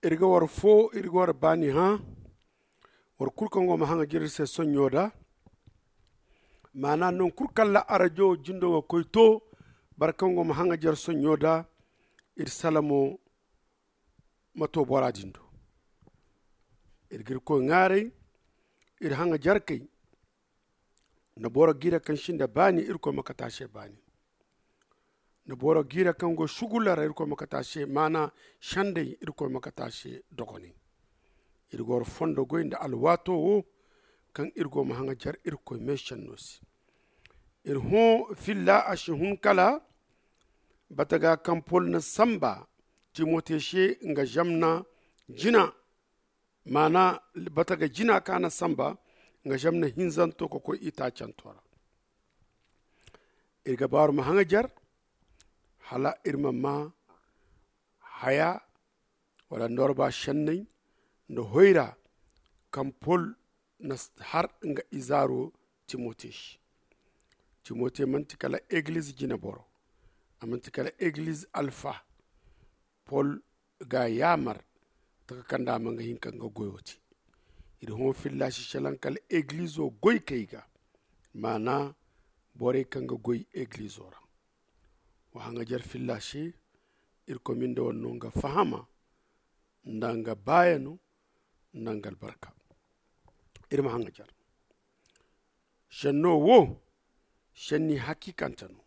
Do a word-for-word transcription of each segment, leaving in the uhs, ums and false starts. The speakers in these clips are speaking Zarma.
Iri ga war foo iri ga war baani hã. War kul kaŋ go ma haŋajer iri se soɲɲo da. Maana non kul kaŋ ra arajo jindo ga koy to. Boro kaŋ go ma haŋajer soɲɲo da. Iri salamo ma to bora din do. Iri ga irkoy ŋaaray. Iri haŋajerkey. Nda boro ga iri kaŋ sinda baani irkoy ma kate a se baani. Nda boro ga iri kaŋ go sugulla ra irkoy ma kate a se maana. Sendey irkoy ma kate a se dogonay. Iri ga war fondo goy nda alwaato wo kaŋ iri go ma haŋajer irkoy meesenno se. Iri hõ filla a si hun kala bataga kaŋ pol na samba timote se nga zamna jina. Maana bataga jina kaŋ a na samba nga zamna hinzanto ka koy itaacanto ra. Iri ga baaru ma haŋajer hala iri ma maa haya wala norba senney nda hoyra kaŋ pol na har nga izaaro timote se. Timote manti kala egiliz jineboro. A manti kala egiliz alfa. Pol ga a yaamar taka kaŋ nda a ma nga hin ka nga goyo te. Iri hõ filla si salaŋ kala egilizo goykey ga. Maana borey kaŋ ga goy egilizo ra. Wa haŋajer filla se. Irkoy ma ni nda war no nga fahama nda nga baayano nda nga albarka. Iri ma haŋajer. Senno wo senni hakiikante no.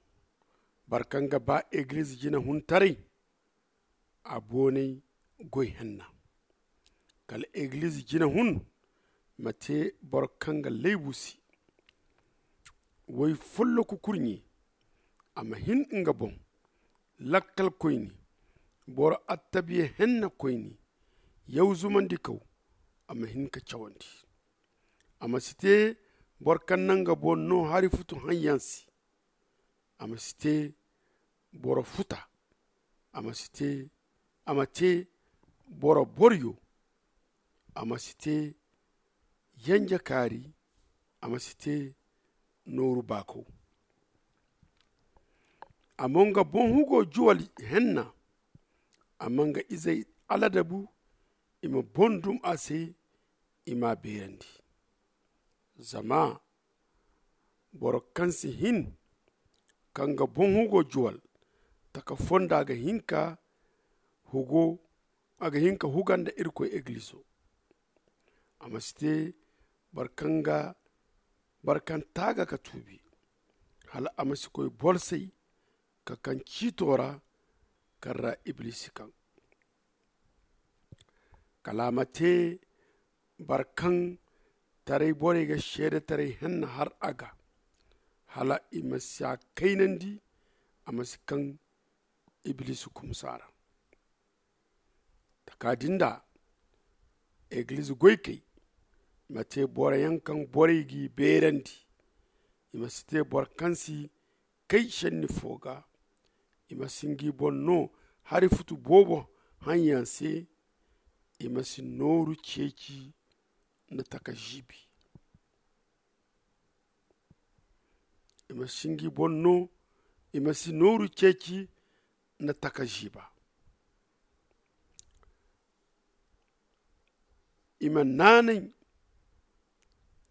Boro kaŋ ga ba egiliz jinehuntaray a boonay goy henna. Kala egiliz jinehun ma te boro kaŋ ga laybu se. Woy folloku kurɲe a ma hin nga boŋ. Lakkalkoyne boro attabiya henna koyne yawzumandikaw a ma hin ka cawandi. A ma si te boro kaŋ na nga boŋ no hari futu haŋyaŋ se. A ma si te boro futa. A ma si te a ma te boro boryo. A ma si te yanja kaari. A ma si te nooru baakaw. A ma nga boŋ hugo juwal henna. A ma nga izey aladabu. I ma boŋ dum a se. I m'a beerandi. Zama boro kaŋ si hin ka nga boŋ hugo juwal taka fondo a ga hin ka hugo a ga hin ka huga nda irkoy egilizo. A ma si te boro kaŋ ga boro kaŋ taaga ka tuubi hala a ma si koy bolsay ka kaŋ ciito ra kaŋ ra iblisi kaŋ. Kala a ma te boro kaŋ taray borey ga seedetaray henna har a ga hala i ma si a kaynandi. A ma si kaŋ iblisi kumsa ra. Taka din da egiliz goykey ma te boroyaŋ kaŋ borey g'i beerandi. I ma si te boro kaŋ si kay senni fo ga. I ma si ngi boŋ no hari futu boobo haŋyaŋ se. I ma si nooru ceeci nda taka ziibi. I ma si ngi boŋ no i ma si nooru ceeci nda taka ziiba. I ma naanay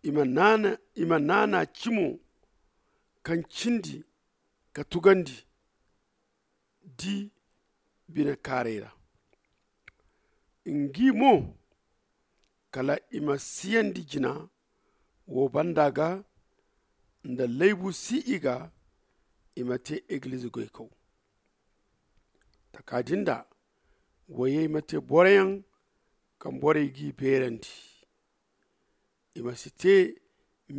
i ma naana i ma naana cimo kaŋ cindi ka tugandi di bine kaaray ra. Ngi mo kala i ma siyandi jina wo banda ga nda laybu si i ga. I ma te egiliz goykaw taka din da woyey ma te boroyaŋ kaŋ borey g'i beerandi. I ma si te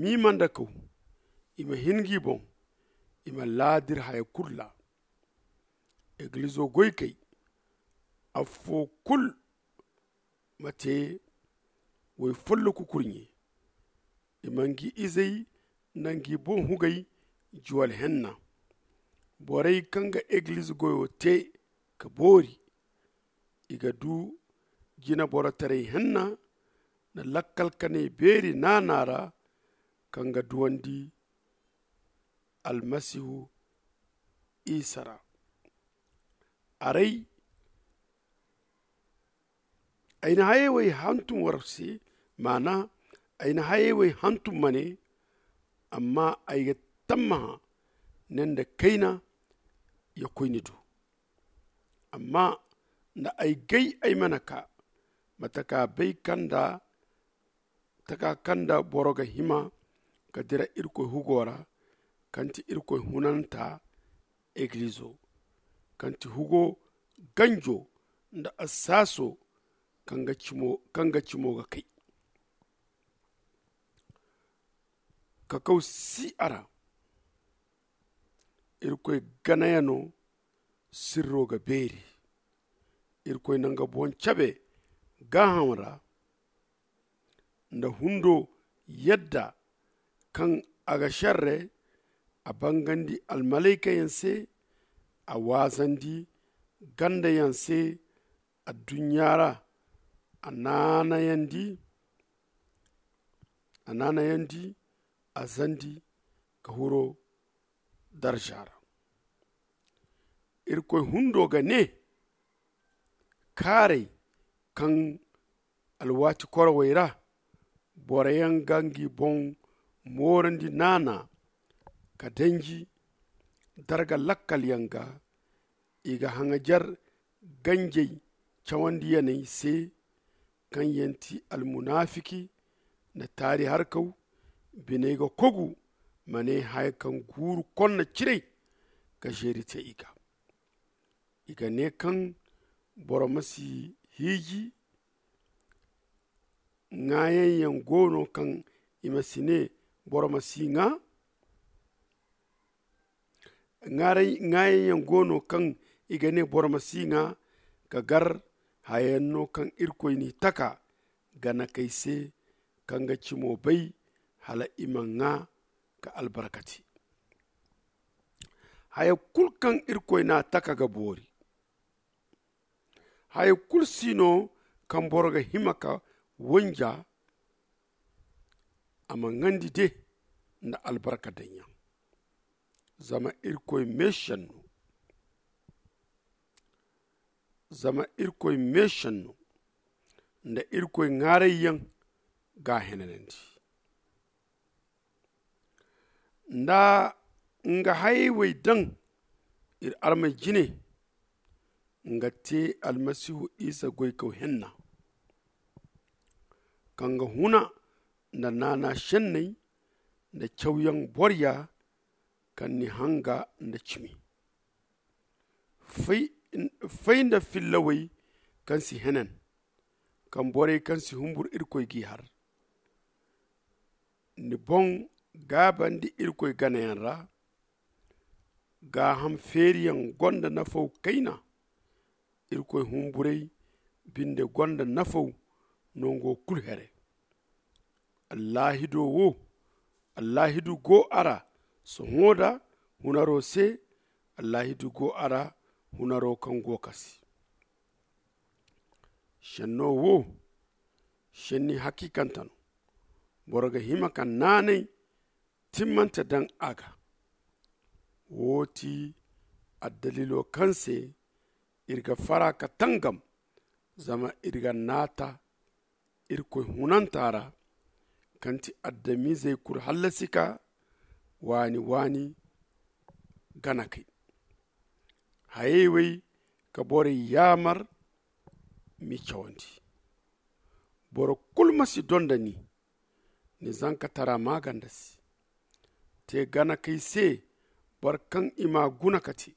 miimandakaw. I ma hin ngi boŋ i ma laadir haya kulu ra. Egilizo goykey affo kulu ma te woy folloku kurɲe. I ma ngi izey nda ngi boŋ hugey juwal henna. Borey kaŋ ga egiliz goyo te ka boori i ga du jineborotaray henna nda lakkal kanay beeri naana ra kaŋ ga duwandi almasihu isa ra. Aray Ay na hayey wey hantum war se, maana ay na hayey wey hantum ma ne, amma ay ga tammaha ne nda kayna ya koyni du. Amma nda ay gay ay mana ka ma taka bay kaŋ nda taka kaŋ nda boro ga hima ka dira irkoy hugo ra, kaŋ ti irkoy hunanta egilizo, kaŋ ti hugo ganjo nda assaaso kaŋ ga cimo ga kay. Kakaw si a ra. Irkoy ganayano sirro ga beeri. Irkoy na nga boŋ cabe gaaham ra nda hundo yadda kaŋ a ga šerre. A bangandi almalaykayaŋ se, a waazandi gandayaŋ se adduɲɲa ra. A naanayandi a naanayandi a zandi ka huro darza ra. Irkoy hundo ga ne, kaaray kaŋ alwaati korowey ra boroyaŋ ga ngi boŋ moorandi naana ka danji darga lakkalyaŋ ga. I ga haŋajer ganjey cawandiyaney se kaŋ yaŋ ti almunaafiki nda taari harkaw. Biney ga kogu ma ne haya kaŋ guuru konna ciray ga zeeri te i ga. I ga ne kaŋ boro ma si hiiji. Ŋaayaŋ yaŋ go no kaŋ i ma si ne boro ma si ŋaa. Ŋaayaŋ yaŋ go no kaŋ i ga ne boro ma si ŋaa. Ka gar hayaŋ no kaŋ irkoy n'i taka ganakey se kaŋ ga cimo bay hala i ma ŋaa ka albarkati. Haya kulu kaŋ irkoy n'a taka ga boori. Haya kulu si no kaŋ boro ga hima ka wanja a ma ŋandi de nda albarka daŋ yaŋ. Zama irkoy meesenno zama irkoy meesenno nda irkoy ŋaarayyaŋ ga a henanandi. Nda nga hayey wey daŋ iri armey jine. Nga te almasihu isa goykaw henna kaŋ ga huna nda naana senney nda cawyaŋ borya kaŋ ni hanga nda cimi. Fay nda fillawey kaŋ si henan kaŋ borey kaŋ si humbur irkoy g'i har. Ni boŋ gaabandi irkoy ganayaŋ ra. Gaaham feeriyaŋ gonda nafaw kayna. Irkoy humburey binde gonda nafaw nango kulu here. Allaahido wo allaahidu go a ra sohõ da hunaro se. Allaahidu go a ra hunaro kaŋ go kasi. Senno wo senni hakiikante no. Boro ga hima ka naanay timmante daŋ a ga. Wo ti addalilo kaŋ se iri ga fara ka tangam zama iri ga naata irkoy hunanta ra kaŋ ti adamizey kulu hallasi ka waani waani gana kay. Hayey wey ka borey yaamar m'i cawandi. Boro kulu ma si donda ni ni zankatara maaganda se. Te gana kay se boro kaŋ i m'a guna ka te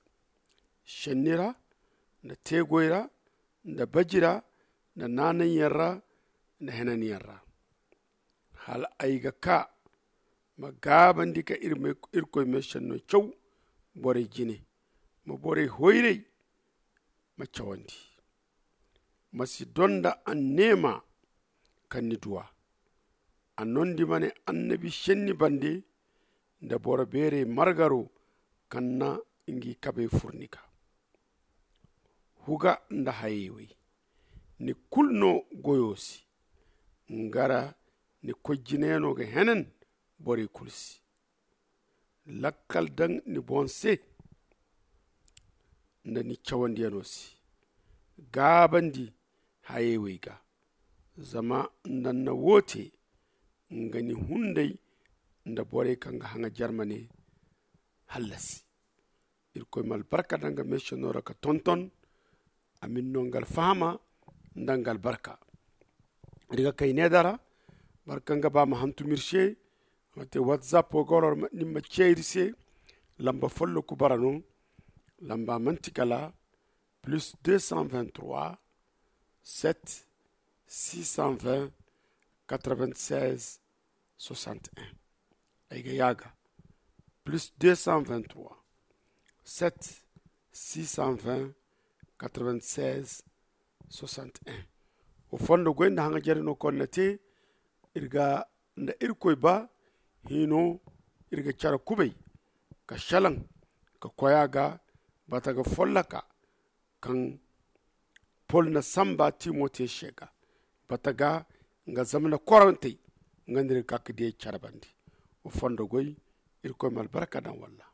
senni ra nda teegoy ra nda baji ra nda naananyaŋ ra nda henanyaŋ ra. Hala ay ga kaa ma gaabandi ka irkoy meesenno caw borey jine. Ma borey hoyray ma cawandi. Ma si donda anneema kaŋ ni du a. A nondi ma ne annabi senni bande nda boro beerey margaro kaŋ na ngi kabey fur ni ga. Huga nda hayey wey ni kulu no goyo se. Nga ra ni koy jineyaŋo ga henan borey kulu se. Lakkal daŋ ni boŋ se nda ni cawandiyaŋo se. Gaabandi hayey wey ga Zama nda ni na wo te, nga ni hunday nda borey kaŋ ga haŋa jarmane hallasi. Irkoy ma albarka daŋ ga meese noora ka tonton. A ma ni no nga alfahama nda nga albarka. Iri ga kay needa ra, boro kaŋ ga ba ma hantum iri se, ma te whatsapp wo ga wala ni ma ce iri se. Lamba folloku bara no. Lamba manti kala plus deux cent vingt-trois, sept, six cent vingt, quatre-vingt-seize, soixante et un. Ay ga yaaga plus deux cent vingt-trois, sept, six cent vingt, quatre-vingt-seize, soixante et un. Wo fondo goy nda haŋa jare no kaŋ na te. Iri ga nda irkoy ba hino, iri ga care kubay ka shalaŋ ka koy a ga bata ga folloka kaŋ pol na samba timote se ga bata ga nga zamana korantey. Nga nda iri ga ka ka diya care bande. Wo fondo goy. Irkoy ma albarka daŋ walla.